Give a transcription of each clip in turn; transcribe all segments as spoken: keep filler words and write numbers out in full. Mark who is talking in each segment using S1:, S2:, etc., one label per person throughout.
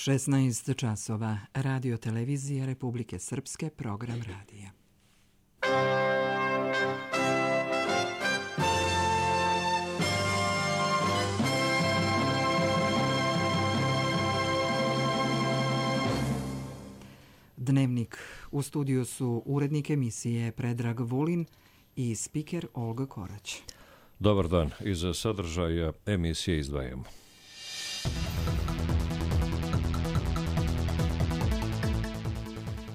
S1: šesnaest časova. Radio televizija Republike Srpske, program radija. Dnevnik. U studiju su urednik emisije Predrag Vulin i spiker Olga Korać.
S2: Dobar dan. Iz sadržaja emisije izdvajamo.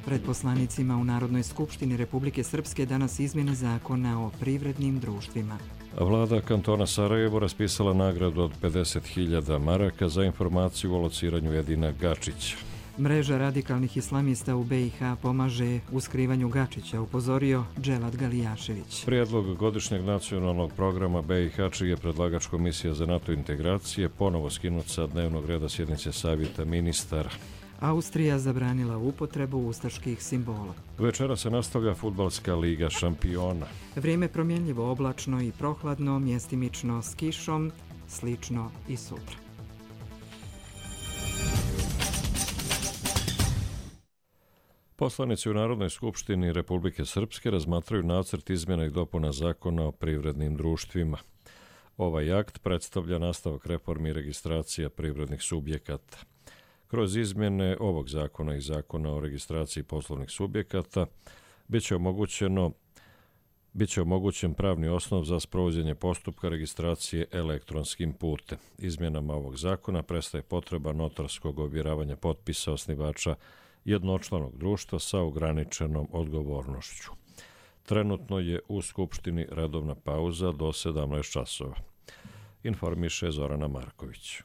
S1: Pred poslanicima u Narodnoj skupštini Republike Srpske danas izmjene zakona o privrednim društvima.
S2: Vlada kantona Sarajevo raspisala nagradu od pedeset hiljada maraka za informaciju o lociranju Edina Gačića.
S1: Mreža radikalnih islamista u B i H pomaže u skrivanju Gačića, upozorio Dževad Galijašević.
S2: Prijedlog godišnjeg nacionalnog programa B i H, čiji je predlagač Komisija za NATO integracije, ponovo skinut sa dnevnog reda sjednice Savjeta ministara.
S1: Austrija zabranila upotrebu ustaških simbola.
S2: Večera se nastavlja Fudbalska liga šampiona.
S1: Vrijeme promjenljivo, oblačno i prohladno, mjestimično s kišom, slično i sutra.
S2: Poslanici u Narodnoj skupštini Republike Srpske razmatraju nacrt izmjena i dopuna zakona o privrednim društvima. Ovaj akt predstavlja nastavak reformi i registracija privrednih subjekata. Kroz izmjene ovog zakona i zakona o registraciji poslovnih subjekata biće omogućeno Biće omogućen pravni osnov za sprovođenje postupka registracije elektronskim putem. Izmjenama ovog zakona prestaje potreba notarskog ovjeravanja potpisa osnivača jednočlanog društva sa ograničenom odgovornošću. Trenutno je u Skupštini redovna pauza do sedamnaest časova. Informiše Zorana Marković.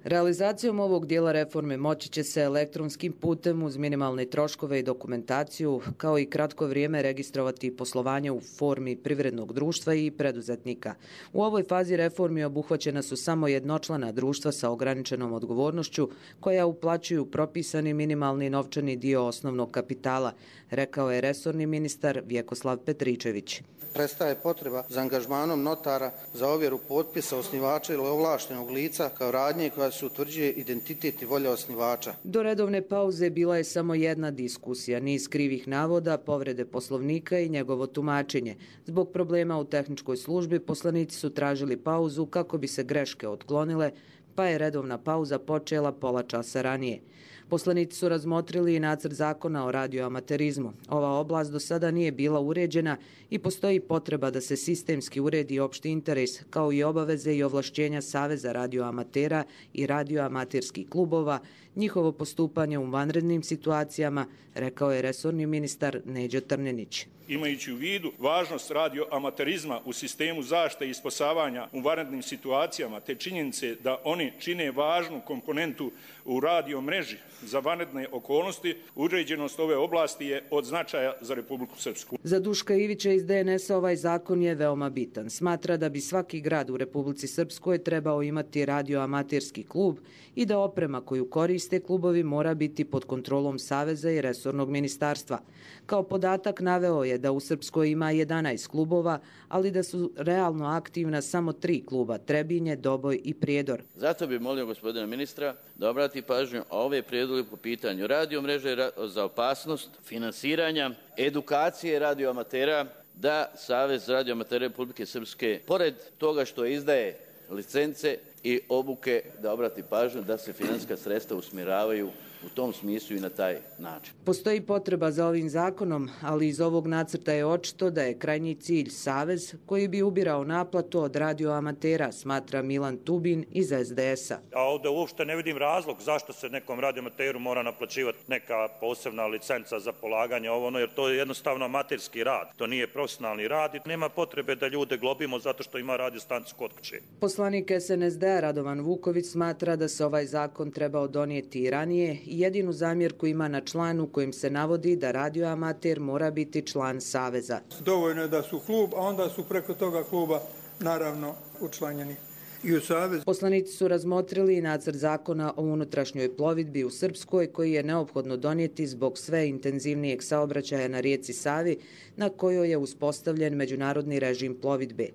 S3: Realizacijom ovog dijela reforme moći će se elektronskim putem uz minimalne troškove i dokumentaciju, kao i kratko vrijeme registrovati poslovanje u formi privrednog društva i preduzetnika. U ovoj fazi reformi obuhvaćena su samo jednočlana društva sa ograničenom odgovornošću koja uplaćuju propisani minimalni novčani dio osnovnog kapitala, rekao je resorni ministar Vjekoslav Petričević.
S4: Prestaje potreba za angažmanom notara za ovjeru potpisa osnivača ili ovlaštenog lica kao radnje koja se utvrđuje identitet i volja osnivača.
S3: Do redovne pauze bila je samo jedna diskusija, niz krivih navoda, povrede poslovnika i njegovo tumačenje. Zbog problema u tehničkoj službi poslanici su tražili pauzu kako bi se greške otklonile, pa je redovna pauza počela pola časa ranije. Poslanici su razmotrili i nacrt zakona o radioamaterizmu. Ova oblast do sada nije bila uređena i postoji potreba da se sistemski uredi opšti interes, kao i obaveze i ovlašćenja Saveza radioamatera i radioamaterskih klubova, njihovo postupanje u vanrednim situacijama, rekao je resorni ministar Neđo Trnenić.
S5: Imajući u vidu važnost radioamaterizma u sistemu zaštite i spasavanja u vanrednim situacijama, te činjenice da oni čine važnu komponentu u radio mreži za vanredne okolnosti, uređenost ove oblasti je od značaja za Republiku Srpsku.
S3: Za Duška Ivića iz D N S-a ovaj zakon je veoma bitan. Smatra da bi svaki grad u Republici Srpskoj trebao imati radioamaterski klub i da oprema koju koriste klubovi mora biti pod kontrolom Saveza i resornog ministarstva. Kao podatak naveo je da u Srpskoj ima jedanaest klubova, ali da su realno aktivna samo tri kluba, Trebinje, Doboj i Prijedor.
S6: Zato bi molio gospodina ministra da obrati pažnju a ove prijedloge po pitanju radiomreže za opasnost, finansiranja, edukacije radioamatera, da Savez radioamatera Republike Srpske, pored toga što izdaje licence i obuke, da obrati pažnju da se financijska sredstva usmjeravaju u tom smislu i na taj način.
S3: Postoji potreba za ovim zakonom, ali iz ovog nacrta je očito da je krajnji cilj Savez koji bi ubirao naplatu od radioamatera, smatra Milan Tubin iz S D S-a.
S7: A ovdje uopšte ne vidim razlog zašto se nekom radioamateru mora naplaćivati neka posebna licenca za polaganje ovo, ono, jer to je jednostavno amaterski rad. To nije profesionalni rad i nema potrebe da ljude globimo zato što ima radiostanicu kod kuće.
S3: Poslanik S N S D-a Radovan Vuković smatra da se ovaj zakon trebao donijeti i ranije i jedinu zamjerku ima na članu kojim se navodi da radioamater mora biti član Saveza.
S8: Dovoljno je da su klub, a onda su preko toga kluba naravno učlanjeni i u Savez.
S3: Poslanici su razmotrili i nacrt zakona o unutrašnjoj plovidbi u Srpskoj koji je neophodno donijeti zbog sve intenzivnijeg saobraćaja na rijeci Savi na kojoj je uspostavljen međunarodni režim plovidbe.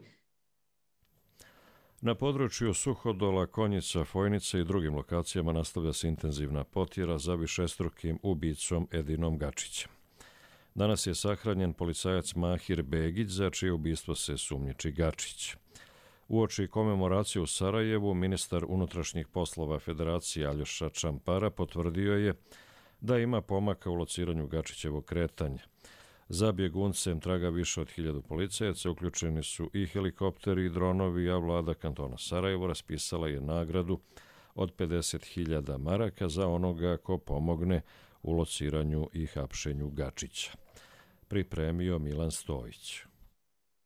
S2: Na području Suhodola, Konjica, Fojnice i drugim lokacijama nastavlja se intenzivna potjera za višestrukim ubicom Edinom Gačićem. Danas je sahranjen policajac Mahir Begić, za čije ubistvo se sumnjiči Gačić. Uoči komemoracije u Sarajevu, ministar unutrašnjih poslova Federacije Aljoša Čampara potvrdio je da ima pomaka u lociranju Gačićevog kretanja. Za bjeguncem traga više od hiljadu policajaca, uključeni su i helikopteri i dronovi, a vlada kantona Sarajevo raspisala je nagradu od pedeset hiljada maraka za onoga ko pomogne u lociranju i hapšenju Gačića. Pripremio Milan Stojić.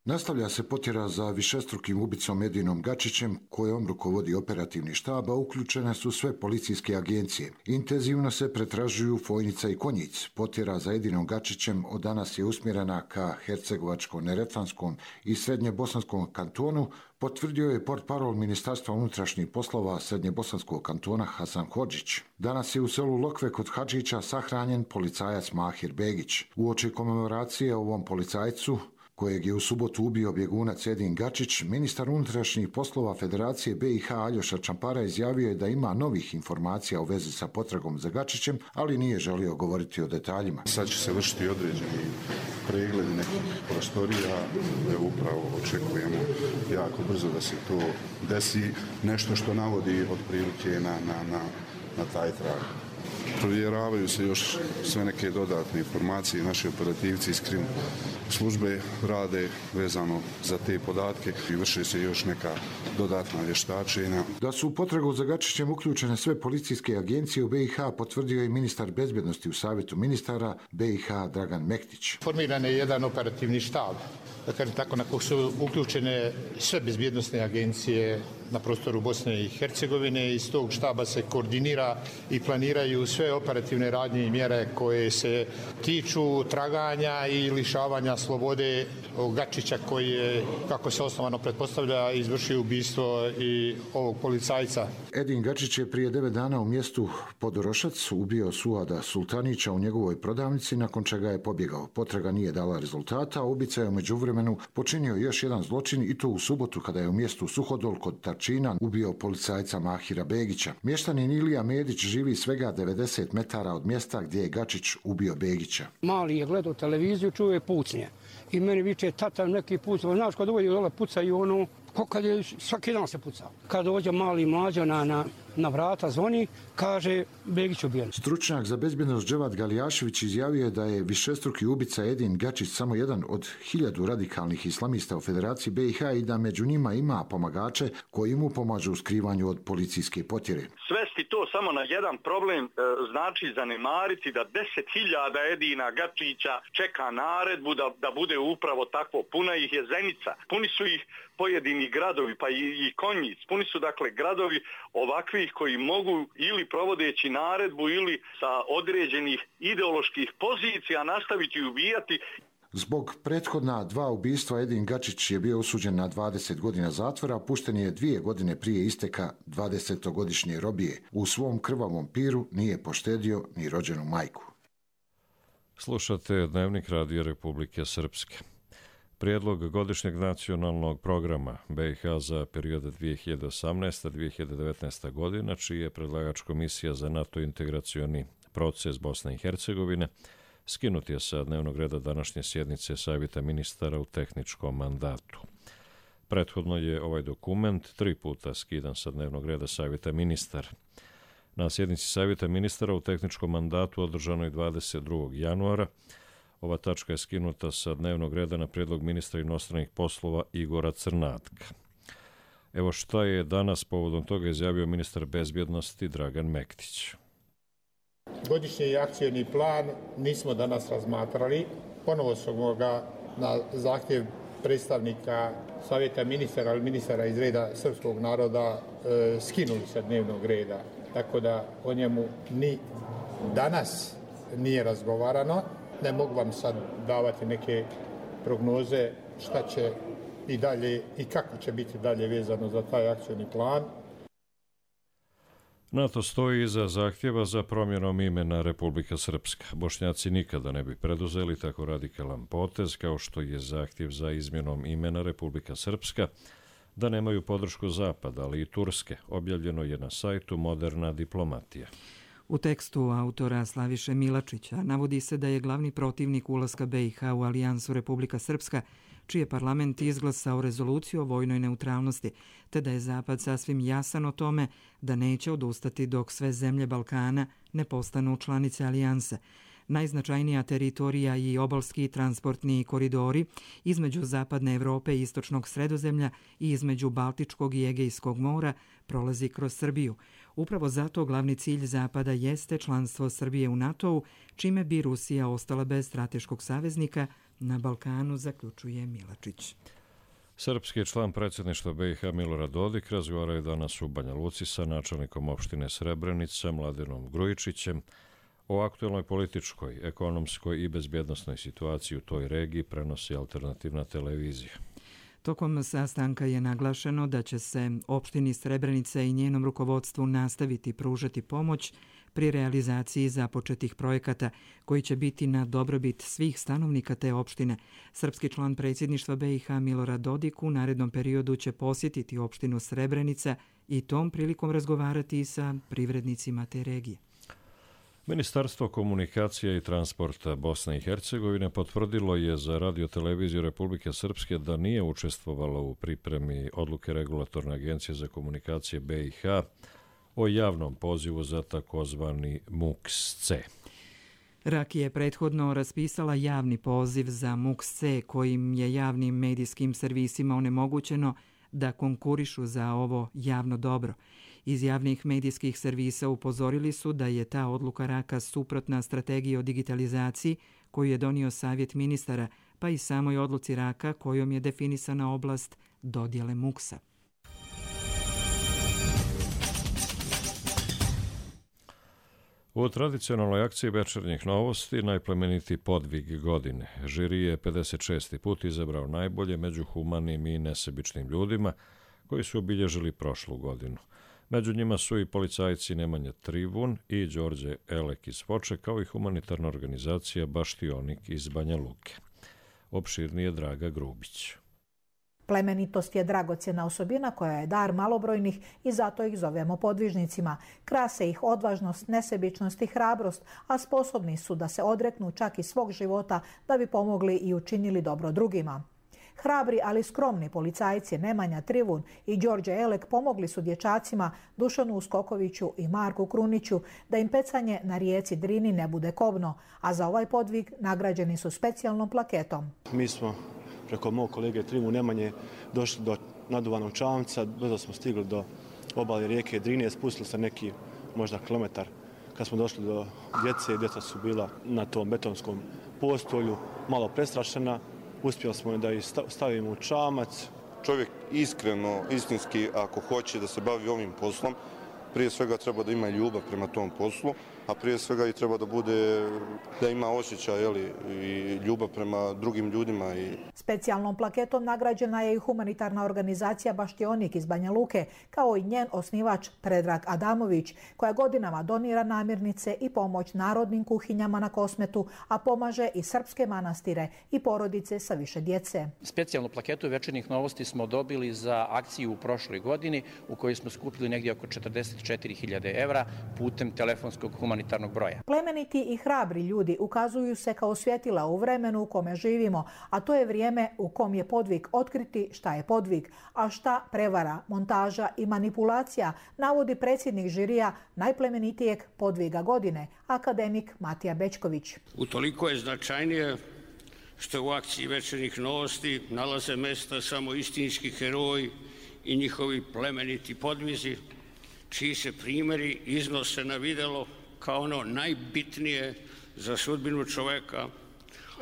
S9: Nastavlja se potjera za višestrukim ubicom Edinom Gačićem, kojom rukovodi operativni štab, a uključene su sve policijske agencije. Intenzivno se pretražuju Fojnica i Konjic. Potjera za Edinom Gačićem od danas je usmjerena ka Hercegovačko-Neretvanskom i Srednjebosanskom kantonu, potvrdio je portparol Ministarstva unutrašnjih poslova Srednjebosanskog kantona Hasan Hodžić. Danas je u selu Lokve kod Hadžića sahranjen policajac Mahir Begić. Uoči komemoracije ovom policajcu, kojeg je u subotu ubio bjegunac Edin Gačić, ministar unutrašnjih poslova Federacije B i H Aljoša Čampara izjavio je da ima novih informacija u vezi sa potragom za Gačićem, ali nije želio govoriti o detaljima.
S10: Sad će se vršiti određeni pregledi nekih prostorija, upravo očekujemo jako brzo da se to desi, nešto što navodi otprilike na, na, na, na taj trag. Provjeravaju se još sve neke dodatne informacije, naši operativci iz krim službe rade vezano za te podatke i vrše se još neka dodatna vještačenja.
S9: Da su u potragu za Gačićem uključene sve policijske agencije u B i H potvrdio je ministar bezbjednosti u Savjetu ministara B i H Dragan Mektić.
S11: Formiran je jedan operativni štab, da kažem tako, na kojeg su uključene sve bezbjednosne agencije na prostoru Bosne i Hercegovine. Iz tog štaba se koordinira i planiraju sve operativne radnje i mjere koje se tiču traganja i lišavanja slobode Gačića, koji je, kako se osnovano pretpostavlja, izvršio ubistvo i ovog policajca.
S9: Edin Gačić je prije devet dana u mjestu Podorošac ubio Suada Sultanića u njegovoj prodavnici, nakon čega je pobjegao. Potraga nije dala rezultata, a ubica je u međuvremenu počinio još jedan zločin, i to u subotu kada je u mjestu Suhodol kod Tarčina ubio policajca Mahira Begića. Mještanin Ilija Medić živi svega devedeset metara od mjesta gdje je Gačić ubio Begića.
S12: Mali je gledao televiziju, čuje pucnje. I meni viče, tata, neki pucao. Znaš, kad dođe dole pucaju ono, ko kad je, svaki dan se pucao. Kad dođe mali mlađo na, na, na vrata, zvoni, kaže, Begić ubijen.
S9: Stručnjak za bezbjednost Dževat Galijašević izjavio je da je višestruki ubica Edin Gačić samo jedan od hiljadu radikalnih islamista u Federaciji B i H i da među njima ima pomagače koji mu pomažu u skrivanju od policijske potjere.
S13: Svesti to samo na jedan problem e, znači zanemariti da deset hiljada Edina Gačića čeka naredbu da, da bude upravo takvo. Puna ih je Zenica, puni su ih pojedini gradovi, pa i, i Konjic. Puni su dakle gradovi ovakvih koji mogu ili provodeći naredbu ili sa određenih ideoloških pozicija nastaviti ubijati.
S9: Zbog prethodna dva ubistva Edin Gačić je bio osuđen na dvadeset godina zatvora, a pušten je dvije godine prije isteka dvadesetogodišnje robije. U svom krvavom piru nije poštedio ni rođenu majku.
S2: Slušate Dnevnik Radio Republike Srpske. Prijedlog godišnjeg nacionalnog programa B i H za period dvije hiljade osamnaesta do dvije hiljade devetnaesta godina, čiji je predlagač Komisija za NATO integracioni proces Bosne i Hercegovine, skinut je sa dnevnog reda današnje sjednice Savjeta ministara u tehničkom mandatu. Prethodno je ovaj dokument tri puta skidan sa dnevnog reda Savjeta ministara. Na sjednici Savjeta ministara u tehničkom mandatu održanoj dvadeset drugog januara ova tačka je skinuta sa dnevnog reda na prijedlog ministra inostranih poslova Igora Crnatka. Evo šta je danas povodom toga izjavio ministar bezbjednosti Dragan Mektić.
S11: Godišnji akcioni plan nismo danas razmatrali. Ponovo smo ga na zahtjev predstavnika Savjeta ministara, ali ministara iz reda srpskog naroda e, skinuli sa dnevnog reda. Tako da o njemu ni danas nije razgovarano. Ne mogu vam sad davati neke prognoze šta će i dalje i kako će biti dalje vezano za taj akcioni plan.
S2: NATO stoji iza zahtjeva za promjenom imena Republika Srpska. Bošnjaci nikada ne bi preduzeli tako radikalan potez kao što je zahtjev za izmjenom imena Republika Srpska da nemaju podršku Zapada, ali i Turske, objavljeno je na sajtu Moderna diplomatija.
S1: U tekstu autora Slaviše Milačića navodi se da je glavni protivnik ulaska B i H u Alijansu Republika Srpska, čiji je parlament izglasao rezoluciju o vojnoj neutralnosti, te da je Zapad sasvim jasan o tome da neće odustati dok sve zemlje Balkana ne postanu članice Alijanse. Najznačajnija teritorija i obalski transportni koridori između Zapadne Evrope i Istočnog Sredozemlja i između Baltičkog i Egejskog mora prolazi kroz Srbiju. Upravo zato glavni cilj Zapada jeste članstvo Srbije u NATO-u, čime bi Rusija ostala bez strateškog saveznika na Balkanu, zaključuje Milačić.
S2: Srpski član predsjedništva B i H Milorad Dodik razgovarao je danas u Banja Luci sa načelnikom opštine Srebrenica Mladenom Grujičićem o aktuelnoj političkoj, ekonomskoj i bezbjednosnoj situaciji u toj regiji, prenosi alternativna televizija.
S1: Tokom sastanka je naglašeno da će se opštini Srebrenica i njenom rukovodstvu nastaviti pružati pomoć pri realizaciji započetih projekata koji će biti na dobrobit svih stanovnika te opštine. Srpski član predsjedništva B i H Milorad Dodik u narednom periodu će posjetiti opštinu Srebrenica i tom prilikom razgovarati sa privrednicima te regije.
S2: Ministarstvo komunikacija i transporta Bosne i Hercegovine potvrdilo je za radioteleviziju Republike Srpske da nije učestvovalo u pripremi odluke Regulatorne agencije za komunikacije B i H o javnom pozivu za takozvani M U K S C.
S1: R A K je prethodno raspisala javni poziv za M U K S C kojim je javnim medijskim servisima onemogućeno da konkurišu za ovo javno dobro. Iz javnih medijskih servisa upozorili su da je ta odluka R A K-a suprotna strategiji o digitalizaciji koju je donio Savjet ministara, pa i samoj odluci R A K-a kojom je definisana oblast dodjele M U K S-a.
S2: U tradicionalnoj akciji večernjih novosti najplemenitiji podvig godine. Žiri je pedeset šesti put izabrao najbolje među humanim i nesebičnim ljudima koji su obilježili prošlu godinu. Među njima su i policajci Nemanja Trivun i Đorđe Elek iz Foče, kao i humanitarna organizacija Baštionik iz Banja Luke. Opširnije Draga Grubić.
S14: Plemenitost je dragocjena osobina koja je dar malobrojnih i zato ih zovemo podvižnicima. Krase ih odvažnost, nesebičnost i hrabrost, a sposobni su da se odreknu čak i svog života da bi pomogli i učinili dobro drugima. Hrabri, ali skromni policajci Nemanja Trivun i Đorđe Elek pomogli su dječacima Dušanu Uskokoviću i Marku Kruniću da im pecanje na rijeci Drini ne bude kobno, a za ovaj podvig nagrađeni su specijalnom plaketom.
S15: Mi smo preko mog kolege Trivu Nemanje došli do naduvanog čamca, brzo smo stigli do obale rijeke Drine, spustili se neki možda kilometar. Kad smo došli do djece, djeca su bila na tom betonskom postolju, malo prestrašena. Uspjeli smo da ih stavimo u čamac.
S16: Čovjek iskreno, istinski, ako hoće da se bavi ovim poslom, prije svega treba da ima ljubav prema tom poslu, a prije svega i treba da bude, da ima osjećaj jeli, i ljubav prema drugim ljudima. I...
S14: Specijalnom plaketom nagrađena je i humanitarna organizacija Baštionik iz Banja Luke, kao i njen osnivač Predrag Adamović, koja godinama donira namirnice i pomoć narodnim kuhinjama na Kosmetu, a pomaže i srpske manastire i porodice sa više djece.
S17: Specijalnu plaketu večernjih novosti smo dobili za akciju u prošloj godini u kojoj smo skupili negdje oko četrdeset četiri hiljade evra putem telefonskog humanitarnog broja.
S14: Plemeniti i hrabri ljudi ukazuju se kao svjetila u vremenu u kome živimo, a to je vrijeme u kom je podvig otkriti šta je podvig, a šta prevara, montaža i manipulacija, navodi predsjednik žirija najplemenitijeg podviga godine, akademik Matija Bečković.
S18: Utoliko je značajnije što u akciji večernjih novosti nalaze mjesta samo istinski heroji i njihovi plemeniti podvizi, čiji se primjeri iznose na vidjelo kao ono najbitnije za sudbinu čovjeka,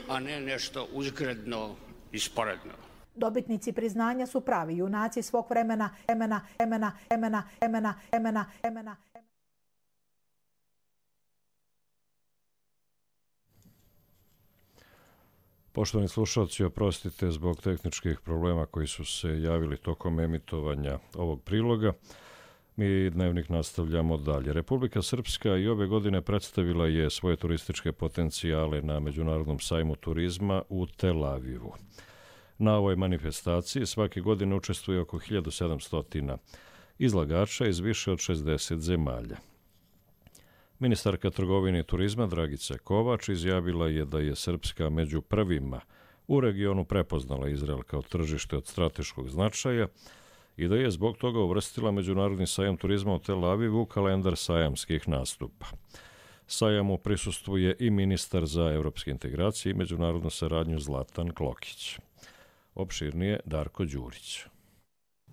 S18: a ne nešto uzgredno i sporedno.
S14: Dobitnici priznanja su pravi junaci svog vremena, vremena, vremena, vremena, vremena, vremena, vremena.
S2: Poštovani slušalci, oprostite zbog tehničkih problema koji su se javili tokom emitovanja ovog priloga. Mi Dnevnik nastavljamo dalje. Republika Srpska i ove godine predstavila je svoje turističke potencijale na Međunarodnom sajmu turizma u Tel Avivu. Na ovoj manifestaciji svake godine učestvuje oko hiljadu sedamsto izlagača iz više od šezdeset zemalja. Ministarka trgovine i turizma Dragica Kovač izjavila je da je Srpska među prvima u regionu prepoznala Izrael kao tržište od strateškog značaja i da je zbog toga uvrstila Međunarodni sajam turizma u Tel Avivu u kalendar sajamskih nastupa. Sajamu prisustvuje i ministar za evropske integracije i međunarodnu saradnju Zlatan Klokić. Opširnije Darko Đurić.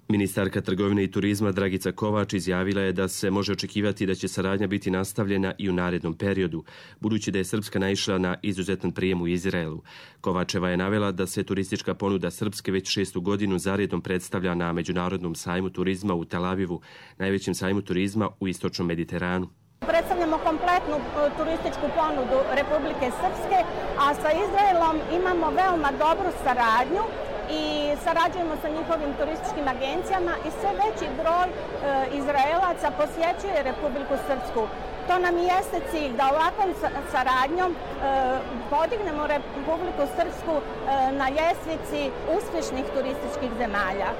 S19: Ministarka trgovine i turizma Dragica Kovač izjavila je da se može očekivati da će saradnja biti nastavljena i u narednom periodu, budući da je Srpska naišla na izuzetan prijem u Izraelu. Kovačeva je navela da se turistička ponuda Srpske već šestu godinu zaredom predstavlja na Međunarodnom sajmu turizma u Tel Avivu, najvećem sajmu turizma u istočnom Mediteranu.
S20: Predstavljamo kompletnu turističku ponudu Republike Srpske, a sa Izraelom imamo veoma dobru saradnju i sarađujemo sa njihovim turističkim agencijama i sve veći broj e, Izraelaca posjećuje Republiku Srpsku. To nam i jeste cilj, da ovakvom saradnjom e, podignemo Republiku Srpsku e, na ljestvici uspješnih turističkih zemalja.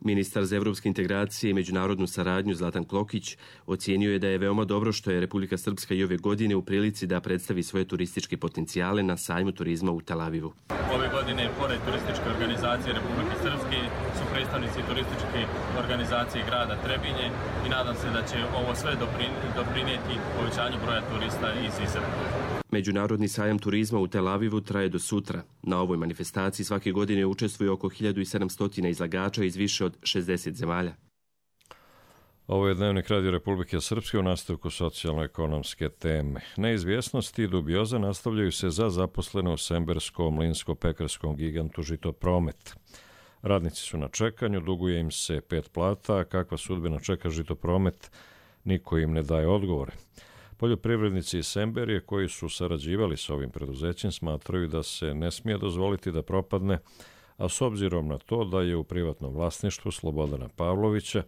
S19: Ministar za evropske integracije i međunarodnu saradnju Zlatan Klokić ocijenio je da je veoma dobro što je Republika Srpska i ove godine u prilici da predstavi svoje turističke potencijale na sajmu turizma u Tel Avivu.
S21: Ove godine, pored turističke organizacije Republike Srpske, su predstavnici turističke organizacije grada Trebinje i nadam se da će ovo sve doprinijeti povećanju broja turista iz Izraela.
S19: Međunarodni sajam turizma u Tel Avivu traje do sutra. Na ovoj manifestaciji svake godine učestvuje oko hiljadu sedamsto izlagača iz više od šezdeset zemalja.
S2: Ovo je Dnevnik Radio Republike Srpske u nastavku socijalno-ekonomske teme. Neizvjesnosti i dubioza nastavljaju se za zaposlene u semberskom mlinsko-pekarskom gigantu Žitopromet. Radnici su na čekanju, duguje im se pet plata, a kakva sudbina čeka Žitopromet, niko im ne daje odgovore. Poljoprivrednici iz Semberije koji su sarađivali s ovim preduzećem smatraju da se ne smije dozvoliti da propadne, a s obzirom na to da je u privatnom vlasništvu Slobodana Pavlovića,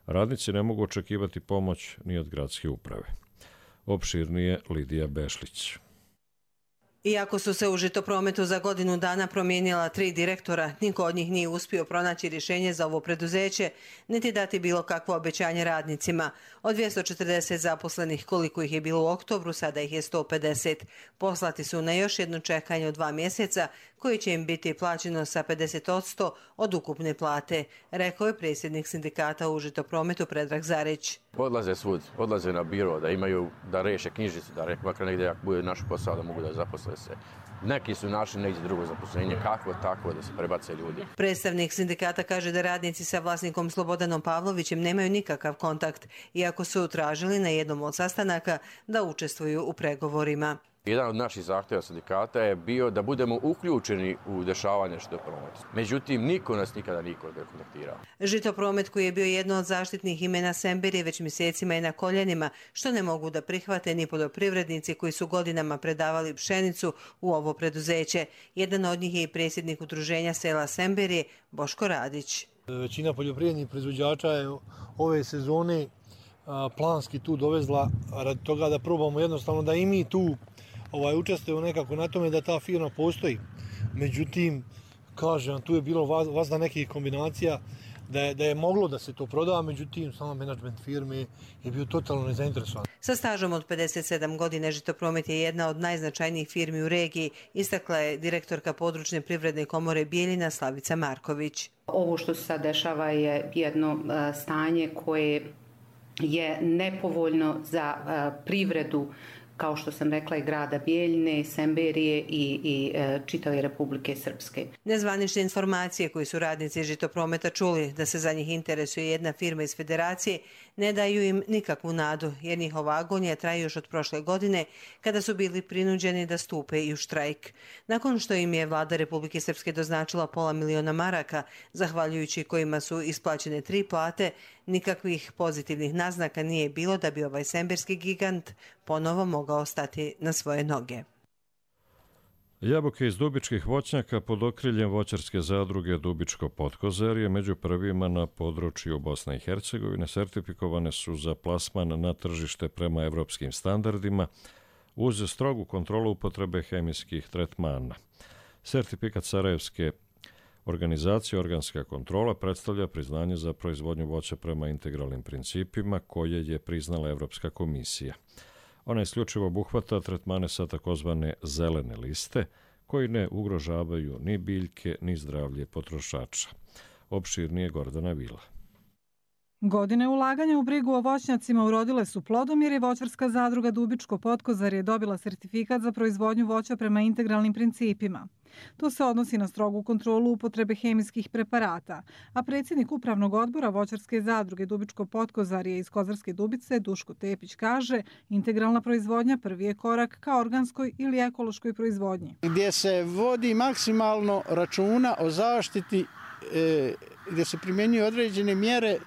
S2: radnici ne mogu očekivati pomoć ni od gradske uprave. Opširnije Lidija Bešlić.
S22: Iako su se u Žitoprometu za godinu dana promijenila tri direktora, niko od njih nije uspio pronaći rješenje za ovo preduzeće, niti dati bilo kakvo obećanje radnicima. Od dvjesto četrdeset zaposlenih koliko ih je bilo u oktobru, sada ih je sto pedeset. Poslati su na još jedno čekanje od dva mjeseca, koji će im biti plaćeno sa pedeset posto od ukupne plate, rekao je predsjednik sindikata u Žitoprometu Predrag Zarić.
S23: Odlaze svud, odlaze na biro da imaju, da reše knjižicu, da rekao makar negdje ako bude naš posao da mogu da zaposle se. Neki su našli negdje drugo zaposlenje, kakvo tako da se prebace ljudi.
S22: Predstavnik sindikata kaže da radnici sa vlasnikom Slobodanom Pavlovićem nemaju nikakav kontakt, iako su tražili na jednom od sastanaka da učestvuju u pregovorima.
S23: Jedan od naših zahtjeva sindikata je bio da budemo uključeni u dešavanje Žitoprometa. Međutim, niko nas nikada niko ne kontaktirao.
S22: Žitopromet, koji je bio jedno od zaštitnih imena Semberije, već mjesecima je na koljenima, što ne mogu da prihvate ni poljoprivrednici koji su godinama predavali pšenicu u ovo preduzeće. Jedan od njih je i predsjednik udruženja sela Semberije, Boško Radić.
S24: Većina poljoprivrednih proizvođača je ove sezone planski tu dovezla radi toga da probamo jednostavno da i mi tu Ovaj, učestvuje nekako na tome da ta firma postoji. Međutim, kažem, tu je bilo vazda nekih kombinacija da je, da je moglo da se to proda, međutim, sama menadžment firme je bio totalno nezainteresovan.
S22: Sa stažom od pedeset sedam godine Žitopromet je jedna od najznačajnijih firmi u regiji, istakla je direktorka područne privredne komore Bijeljina Slavica Marković.
S25: Ovo što se sad dešava je jedno stanje koje je nepovoljno za privredu, kao što sam rekla, i grada Bijeljine, Semberije i, i e, čitave Republike Srpske.
S22: Nezvanične informacije koje su radnici Žitoprometa čuli da se za njih interesuje jedna firma iz Federacije ne daju im nikakvu nadu, jer njihova agonija traje još od prošle godine kada su bili prinuđeni da stupe i u štrajk. Nakon što im je vlada Republike Srpske doznačila pola miliona maraka, zahvaljujući kojima su isplaćene tri plate, nikakvih pozitivnih naznaka nije bilo da bi ovaj semberski gigant ponovo mogao stati na svoje noge.
S2: Jabuke iz dubičkih voćnjaka pod okriljem voćarske zadruge Dubičko Potkozerje među prvima na području Bosne i Hercegovine sertifikovane su za plasman na tržište prema evropskim standardima uz strogu kontrolu upotrebe hemijskih tretmana. Sertifikat Sarajevske Organizacija Organska kontrola predstavlja priznanje za proizvodnju voća prema integralnim principima koje je priznala Evropska komisija. Ona isključivo obuhvata tretmane sa takozvane zelene liste, koji ne ugrožavaju ni biljke, ni zdravlje potrošača. Opširnije Gordana Vila.
S4: Godine ulaganja u brigu o voćnjacima urodile su plodom jer je voćarska zadruga Dubičko Potkozarje dobila sertifikat za proizvodnju voća prema integralnim principima. To se odnosi na strogu kontrolu upotrebe hemijskih preparata, a predsjednik upravnog odbora voćarske zadruge Dubičko Potkozarje iz Kozarske Dubice Duško Tepić kaže: integralna proizvodnja prvi je korak ka organskoj ili ekološkoj proizvodnji.
S5: Gdje se vodi maksimalno računa o zaštiti, e, gdje se primjenjuju određene mjere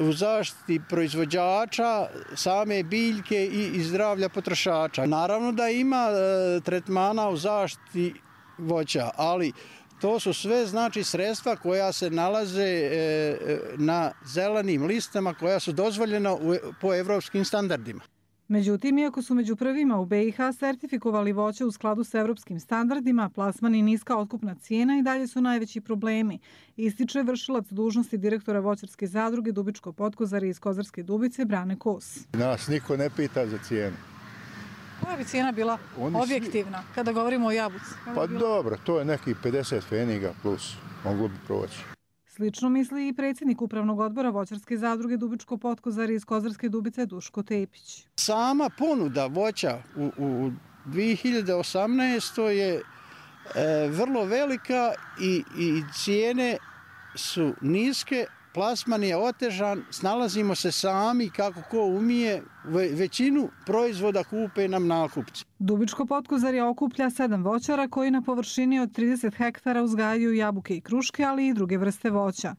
S5: u zaštiti proizvođača, same biljke i, i zdravlja potrošača. Naravno da ima e, tretmana u zaštiti voća, ali to su sve znači sredstva koja se nalaze e, na zelenim listama koja su dozvoljena u, po evropskim standardima.
S4: Međutim, iako su među prvima u be i ha sertifikovali voće u skladu s evropskim standardima, plasman i niska otkupna cijena i dalje su najveći problemi, ističe vršilac dužnosti direktora voćarske zadruge Dubičko Potkozarje iz Kozarske Dubice Brane Kos.
S6: Nas niko ne pita za cijenu.
S4: Koja bi cijena bila Oni objektivna svi... kada govorimo o jabuci?
S6: Pa dobro, to je nekih pedeset pfeniga plus, moglo bi proći.
S4: Slično misli i predsjednik upravnog odbora voćarske zadruge Dubičko Potkozarje iz Kozarske Dubice Duško Tepić.
S5: Sama ponuda voća u, u dvije hiljade osamnaestoj je e, vrlo velika i, i cijene su niske, plasman je otežan, snalazimo se sami kako ko umije, većinu proizvoda kupe nam nakupci.
S4: Dubičko Potkozarje okuplja sedam voćara koji na površini od trideset hektara uzgajaju jabuke i kruške, ali i druge vrste voća.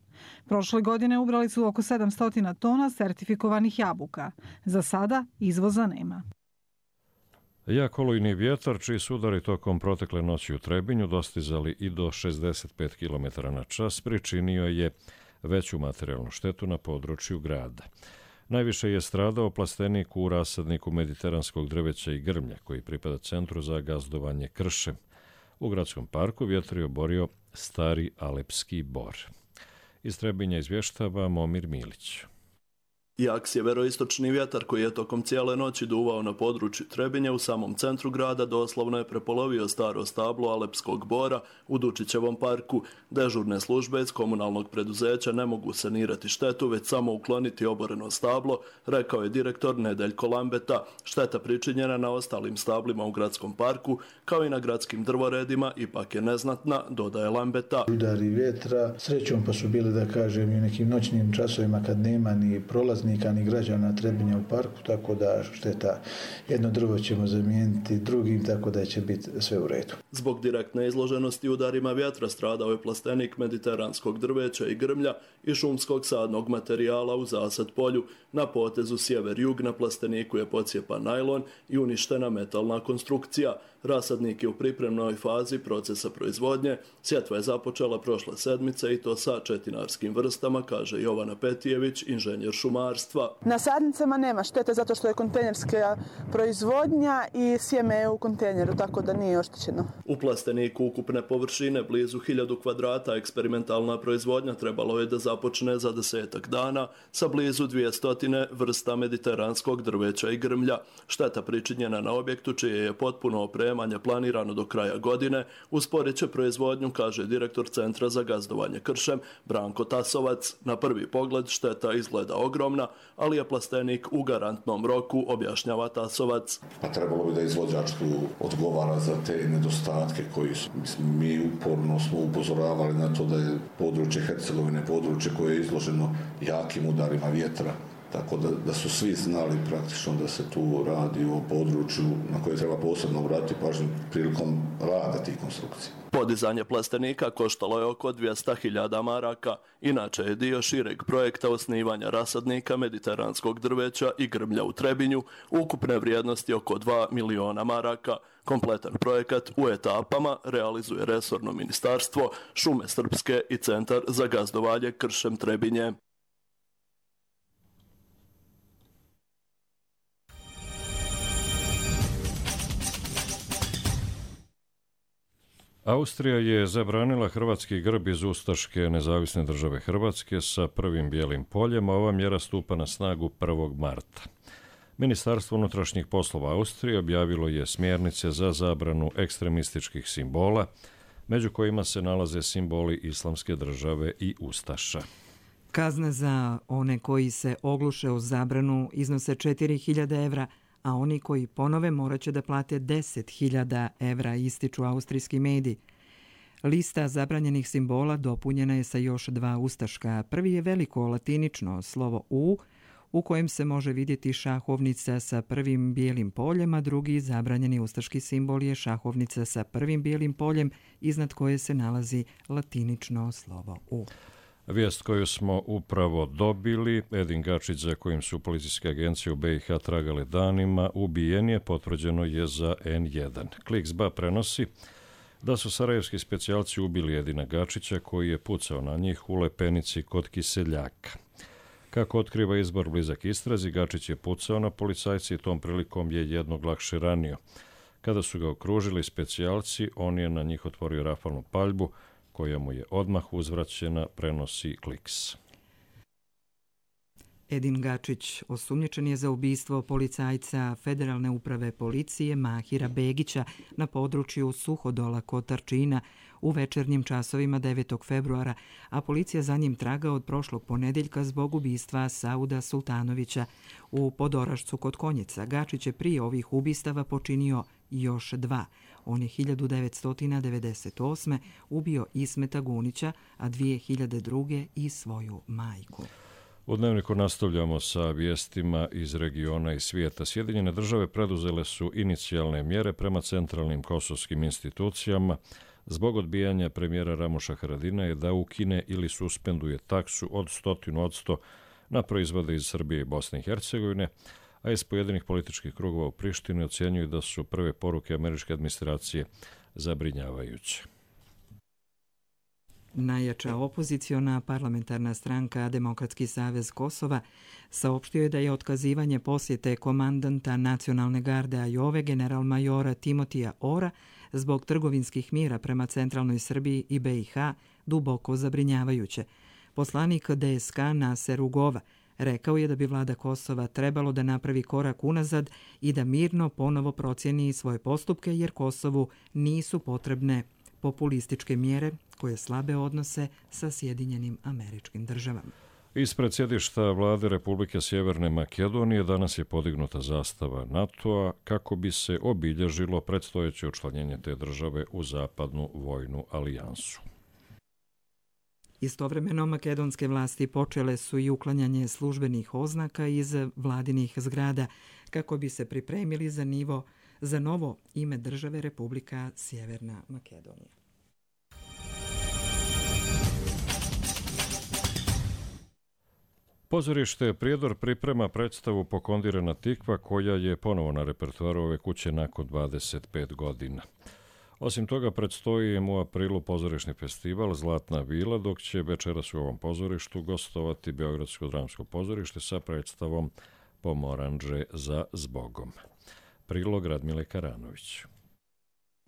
S4: Prošle godine ubrali su oko sedamsto tona sertifikovanih jabuka. Za sada izvoza nema.
S2: Jak olujni vjetar, čiji su udari tokom protekle noći u Trebinju dostizali i do šezdeset pet kilometara na čas, pričinio je veću materijalnu štetu na području grada. Najviše je stradao plastenik u rasadniku mediteranskog drveća i grmlja, koji pripada Centru za gazdovanje Kršem. U gradskom parku vjetar je oborio stari alepski bor. Iz Trebinja izvještava Momir Milić.
S7: Jak sjeveroistočni vjetar koji je tokom cijele noći duvao na području Trebinja u samom centru grada doslovno je prepolovio staro stablo alepskog bora u Dučićevom parku. Dežurne službe iz komunalnog preduzeća ne mogu sanirati štetu, već samo ukloniti oboreno stablo, rekao je direktor Nedeljko Lambeta. Šteta pričinjena na ostalim stablima u gradskom parku, kao i na gradskim drvoredima, ipak je neznatna, dodaje Lambeta.
S8: Udari vjetra, srećom pa su bili, da kažem, i u nekim noćnim časovima kad nema ni prolaznika ni građana Trebinja u parku, tako da šteta, jedno drvo ćemo zamijeniti drugim, tako da će biti sve u redu.
S7: Zbog direktne izloženosti udarima vjetra stradao je plastenik mediteranskog drveća i grmlja i šumskog sadnog materijala u Zasad polju. Na potezu sjever-jug na plasteniku je pocijepan najlon i uništena metalna konstrukcija. Rasadnik je u pripremnoj fazi procesa proizvodnje. Sjetva je započela prošle sedmice i to sa četinarskim vrstama, kaže Jovana Petijević, inženjer šumarstva.
S26: Na sadnicama nema štete zato što je kontejnerska proizvodnja i sjeme je u kontejneru, tako da nije oštećeno.
S7: U plasteniku ukupne površine blizu hiljadu kvadrata eksperimentalna proizvodnja trebalo je da započne za desetak dana sa blizu dvjesto vrsta mediteranskog drveća i grmlja. Šteta pričinjena na objektu čije je potpuno opremanje planirano do kraja godine usporit će proizvodnju, kaže direktor Centra za gazdovanje Kršem Branko Tasovac. Na prvi pogled šteta izgleda ogromna, ali je plastenik u garantnom roku, objašnjava Tasovac.
S27: Pa trebalo bi da izvođač tu odgovara za te nedostatke koji su, mislim, mi uporno smo upozoravali na to da je područje Hercegovine područje koje je izloženo jakim udarima vjetra. Tako da, da su svi znali praktično da se tu radi o području na koje treba posebno obratiti pažnju prilikom rada tih konstrukcija.
S7: Podizanje plastenika koštalo je oko dvjesto hiljada maraka. Inače je dio šireg projekta osnivanja rasadnika mediteranskog drveća i grmlja u Trebinju, ukupne vrijednosti oko dva miliona maraka. Kompletan projekat u etapama realizuje resorno ministarstvo, Šume Srpske i Centar za gazdovanje Kršem Trebinje.
S2: Austrija je zabranila hrvatski grb iz ustaške nezavisne države Hrvatske sa prvim bijelim poljem, a ova mjera stupa na snagu prvog marta. Ministarstvo unutrašnjih poslova Austrije objavilo je smjernice za zabranu ekstremističkih simbola, među kojima se nalaze simboli islamske države i ustaša.
S1: Kazna za one koji se ogluše o zabranu iznose četiri hiljade evra, a oni koji ponove morat će da plate deset hiljada evra, ističu austrijski mediji. Lista zabranjenih simbola dopunjena je sa još dva ustaška. Prvi je veliko latinično slovo U, u kojem se može vidjeti šahovnica sa prvim bijelim poljem, a drugi zabranjeni ustaški simbol je šahovnica sa prvim bijelim poljem, iznad koje se nalazi latinično slovo U.
S2: Vijest koju smo upravo dobili, Edin Gačić, za kojim su policijske agencije u B i H tragale danima, ubijen je, potvrđeno je za en jedan. Kliks.ba prenosi da su sarajevski specijalci ubili Edina Gačića, koji je pucao na njih u Lepenici kod Kiseljaka. Kako otkriva izbor blizak istrazi, Gačić je pucao na policajci i tom prilikom je jednog lakše ranio. Kada su ga okružili specijalci, on je na njih otvorio rafalnu paljbu, koja mu je odmah uzvraćena, prenosi Kliks.
S1: Edin Gačić osumnjičen je za ubistvo policajca Federalne uprave policije Mahira Begića na području Suhodola kod Tarčina u večernjim časovima devetog februara, a policija za njim traga od prošlog ponedjeljka zbog ubistva Sauda Sultanovića u Podorašcu kod Konjica. Gačić je prije ovih ubistava počinio još dva. On je hiljadu devetsto devedeset osme ubio Ismeta Gunića, a dvije hiljade druge i svoju majku.
S2: U Dnevniku nastavljamo sa vijestima iz regiona i svijeta. Sjedinjene države preduzele su inicijalne mjere prema centralnim kosovskim institucijama zbog odbijanja premijera Ramuša Haradinaja da ukine ili suspenduje taksu od stotinu odsto na proizvode iz Srbije i Bosne i Hercegovine, a iz pojedinih političkih krugova u Prištini ocjenjuju da su prve poruke američke administracije zabrinjavajuće.
S1: Najjača opoziciona parlamentarna stranka Demokratski savez Kosova saopštio je da je otkazivanje posjete komandanta nacionalne garde Ajove general-majora Timotija Ora zbog trgovinskih mira prema centralnoj Srbiji i B i H duboko zabrinjavajuće. Poslanik D S K Naser Ugova rekao je da bi vlada Kosova trebalo da napravi korak unazad i da mirno ponovo procjeni svoje postupke, jer Kosovu nisu potrebne populističke mjere koje slabe odnose sa Sjedinjenim Američkim Državama.
S2: Ispred sjedišta vlade Republike Sjeverne Makedonije danas je podignuta zastava NATO-a kako bi se obilježilo predstojeće učlanjenje te države u zapadnu vojnu alijansu.
S1: Istovremeno makedonske vlasti počele su i uklanjanje službenih oznaka iz vladinih zgrada kako bi se pripremili za nivo za novo ime države Republika Sjeverna Makedonija.
S2: Pozorište Prijedor priprema predstavu Pokondirana tikva, koja je ponovo na repertoaru ove kuće nakon dvadeset pet godina. Osim toga, predstoji im u aprilu pozorišni festival Zlatna vila, dok će večeras u ovom pozorištu gostovati Beogradsko dramsko pozorište sa predstavom Pomoranđe za zbogom. Prilog Radmile Karanović.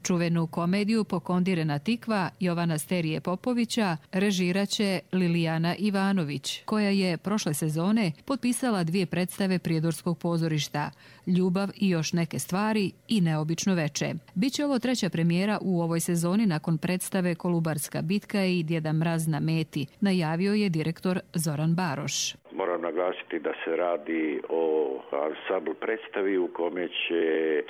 S3: Čuvenu komediju Pokondirana tikva Jovana Sterije Popovića režiraće Lilijana Ivanović, koja je prošle sezone potpisala dvije predstave Prijedorskog pozorišta, Ljubav i još neke stvari i Neobično veče. Biće ovo treća premijera u ovoj sezoni nakon predstave Kolubarska bitka i Djeda Mraz na meti, najavio je direktor Zoran Baroš.
S9: Moram naglasiti da se radi o ansambl predstavi u kome će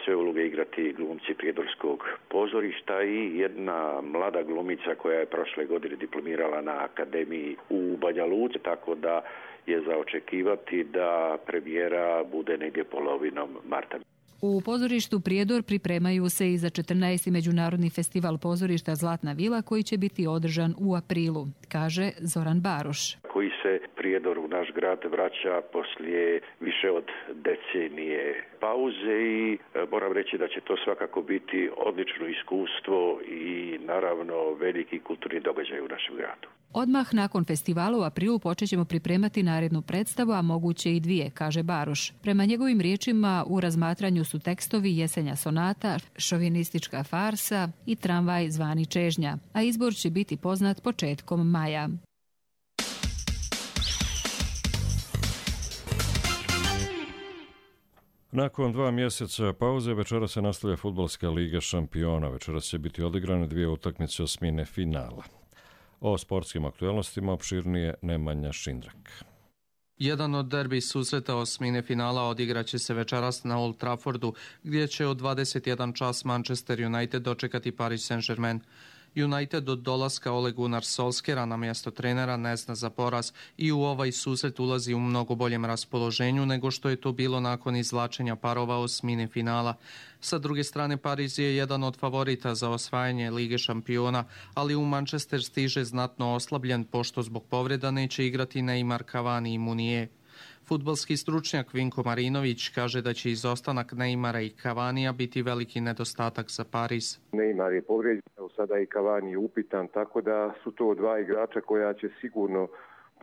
S9: sve uloge igrati glumci Prijedorskog pozorišta i jedna mlada glumica koja je prošle godine diplomirala na akademiji u Banja Luci, tako da je za očekivati da premijera bude negdje polovinom marta.
S3: U pozorištu Prijedor pripremaju se i za četrnaesti međunarodni festival pozorišta Zlatna vila, koji će biti održan u aprilu, kaže Zoran Baroš.
S9: Koji se Prijedor u naš grad vraća poslije više od decenije pauze i moram reći da će to svakako biti odlično iskustvo i naravno veliki kulturni događaj u našem gradu.
S3: Odmah nakon festivala u aprilu počet ćemo pripremati narednu predstavu, a moguće i dvije, kaže Baroš. Prema njegovim riječima u razmatranju su tekstovi Jesenja sonata, Šovinistička farsa i Tramvaj zvani čežnja, a izbor će biti poznat početkom maja.
S2: Nakon dva mjeseca pauze večeras se nastavlja fudbalska liga šampiona. Večeras će biti odigrane dvije utakmice osmine finala. O sportskim aktualnostima opširnije Nemanja Šindrak.
S10: Jedan od derbi susreta osmine finala odigraće se večeras na Old Traffordu, gdje će od dvadeset jedan čas Manchester United dočekati Paris Saint-Germain. United od dolaska Ole Gunnar Solskjera na mjesto trenera ne zna za poraz i u ovaj susret ulazi u mnogo boljem raspoloženju nego što je to bilo nakon izvlačenja parova osmine finala. Sa druge strane, Pariz je jedan od favorita za osvajanje Lige šampiona, ali u Manchester stiže znatno oslabljen pošto zbog povreda neće igrati Neymar, Cavani i Munier. Fudbalski stručnjak Vinko Marinović kaže da će izostanak Neymara i Cavanija biti veliki nedostatak za Pariz.
S11: Neymar je povrijeđen, sada i Cavani je upitan, tako da su to dva igrača koja će sigurno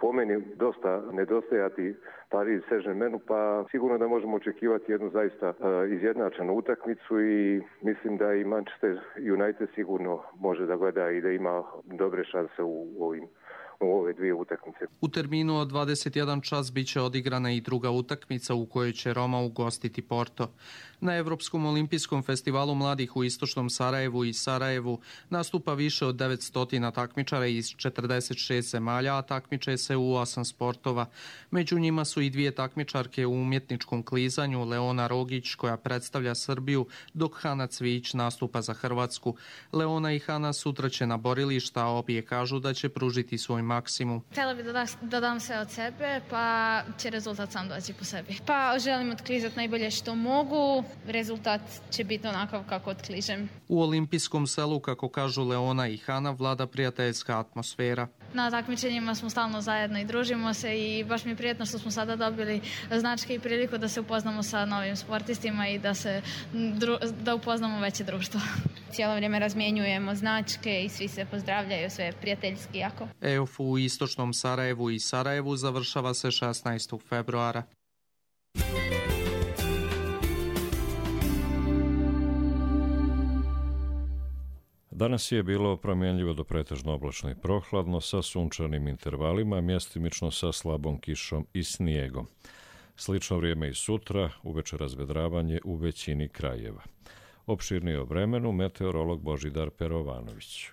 S11: po meni dosta nedostajati Paris Saint-Germainu, pa sigurno da možemo očekivati jednu zaista uh, izjednačenu utakmicu i mislim da i Manchester United sigurno može da gleda i da ima dobre šanse u ovim u ove dvije utakmice.
S10: U terminu od dvadeset jedan čas bit će odigrana i druga utakmica u kojoj će Roma ugostiti Porto. Na Evropskom olimpijskom festivalu mladih u istočnom Sarajevu i Sarajevu nastupa više od devetsto takmičara iz četrdeset šest zemalja, a takmiče se u osam sportova. Među njima su i dvije takmičarke u umjetničkom klizanju, Leona Rogić koja predstavlja Srbiju, dok Hana Cvić nastupa za Hrvatsku. Leona i Hana sutra će na borilišta, a obje kažu da će pružiti svoj maksimum.
S12: Htjela bih da, da, da dam sve od sebe, pa će rezultat sam doći po sebi. Pa želim otklizati najbolje što mogu, rezultat će biti onakav kako otkližem.
S10: U olimpijskom selu, kako kažu Leona i Hana, vlada prijateljska atmosfera.
S12: Na takmičenjima smo stalno zajedno i družimo se i baš mi je prijetno što smo sada dobili značke i priliku da se upoznamo sa novim sportistima i da, se, da upoznamo veće društvo. Cijelo vrijeme razmjenjujemo značke i svi se pozdravljaju, sve prijateljski jako.
S10: E O F u istočnom Sarajevu i Sarajevu završava se šesnaestog februara.
S2: Danas je bilo promjenljivo do pretežno oblačno i prohladno sa sunčanim intervalima, mjestimično sa slabom kišom i snijegom. Slično vrijeme i sutra, uveče razvedravanje u većini krajeva. Opširnije o vremenu meteorolog Božidar Perovanović.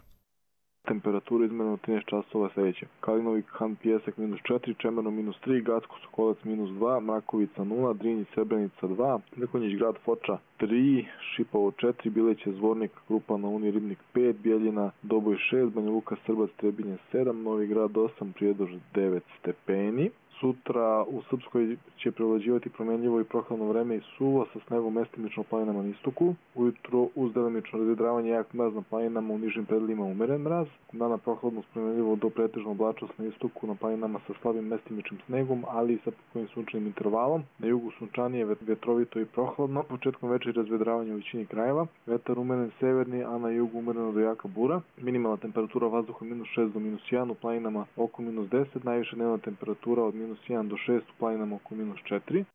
S13: Temperatura izmjena trinaest časova sljedeće. Kalinovi Han Pijesak minus četiri, Čemerno minus tri, Gacko Sokolac minus dva, Mrakovica nula, Drinji Srebrenica dva, Mrkonjić grad Foča tri, Šipovo četiri, Bileće Zvornik, Krupa na Uni Ribnik pet, Bijeljina Doboj šest, Banja Luka Srbac Trebinje sedam, Novi grad osam, Prijedor devet stepeni. Sutra u Srpskoj će prevlađivati promjenljivo i prohladno vreme i suvo sa snegom mestimično planinama na istoku. Ujutro uz delimično razvedravanje jak mraz na planinama, u nižim predjelima umeren mraz. Dana prohladno promjenljivo do pretežno oblačnost na istoku na planinama sa slabim mestimičnim snegom, ali i sa pokojnim sunčanim intervalom. Na jugu sunčanije, vetrovito i prohladno. Početkom večeri razvedravanje u većini krajeva. Vetar umeren severni, a na jugu umereno do jaka bura. Minimalna temperatura vazduha minus šest do minus jedan, u planinama oko minus deset, najviša dnevna temperatura od minus jedan do šest, u planinama oko minus četiri.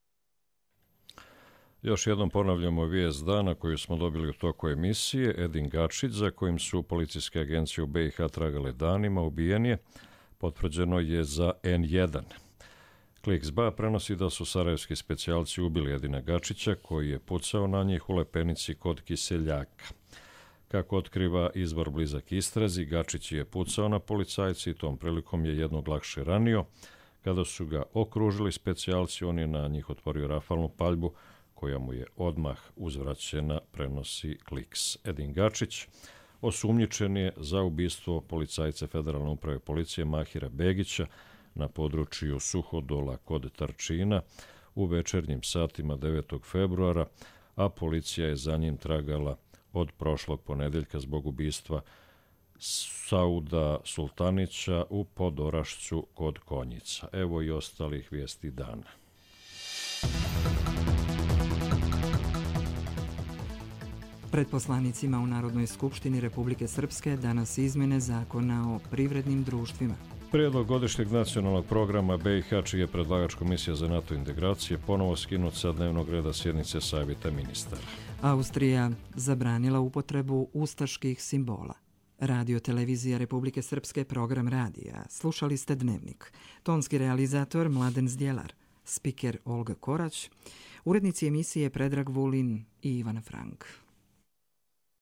S2: Još jednom ponavljamo vijest dana koju smo dobili u toku emisije. Edin Gačić, za kojim su policijske agencije u B i H tragale danima, ubijen je. Potvrđeno je za N jedan. Klik S B A prenosi da su sarajevski specijalci ubili Edina Gačića, koji je pucao na njih u Lepenici kod Kiseljaka. Kako otkriva izvor blizak istrazi, Gačić je pucao na policajci i tom prilikom je jednog lakše ranio. Kada su ga okružili specijalci, on je na njih otvorio rafalnu paljbu, koja mu je odmah uzvraćena, prenosi Kliks. Edin Gačić osumnjičen je za ubistvo policajca Federalne uprave policije Mahira Begića na području Suhodola kod Tarčina u večernjim satima devetog februara, a policija je za njim tragala od prošlog ponedeljka zbog ubistva Sauda Sultanića u Podorašću kod Konjica. Evo i ostalih vijesti dana.
S1: Pred poslanicima u Narodnoj skupštini Republike Srpske danas izmjene zakona o privrednim društvima.
S2: Prijedlog godišnjeg nacionalnog programa B i H, čiji je predlagač Komisija za NATO integracije, ponovo skinut sa dnevnog reda sjednice Savjeta ministara.
S1: Austrija zabranila upotrebu ustaških simbola. Radio televizija Republike Srpske, program radija. Slušali ste Dnevnik. Tonski realizator Mladen Zdjelar, spiker Olga Korać, urednici emisije Predrag Vulin i Ivana Frank.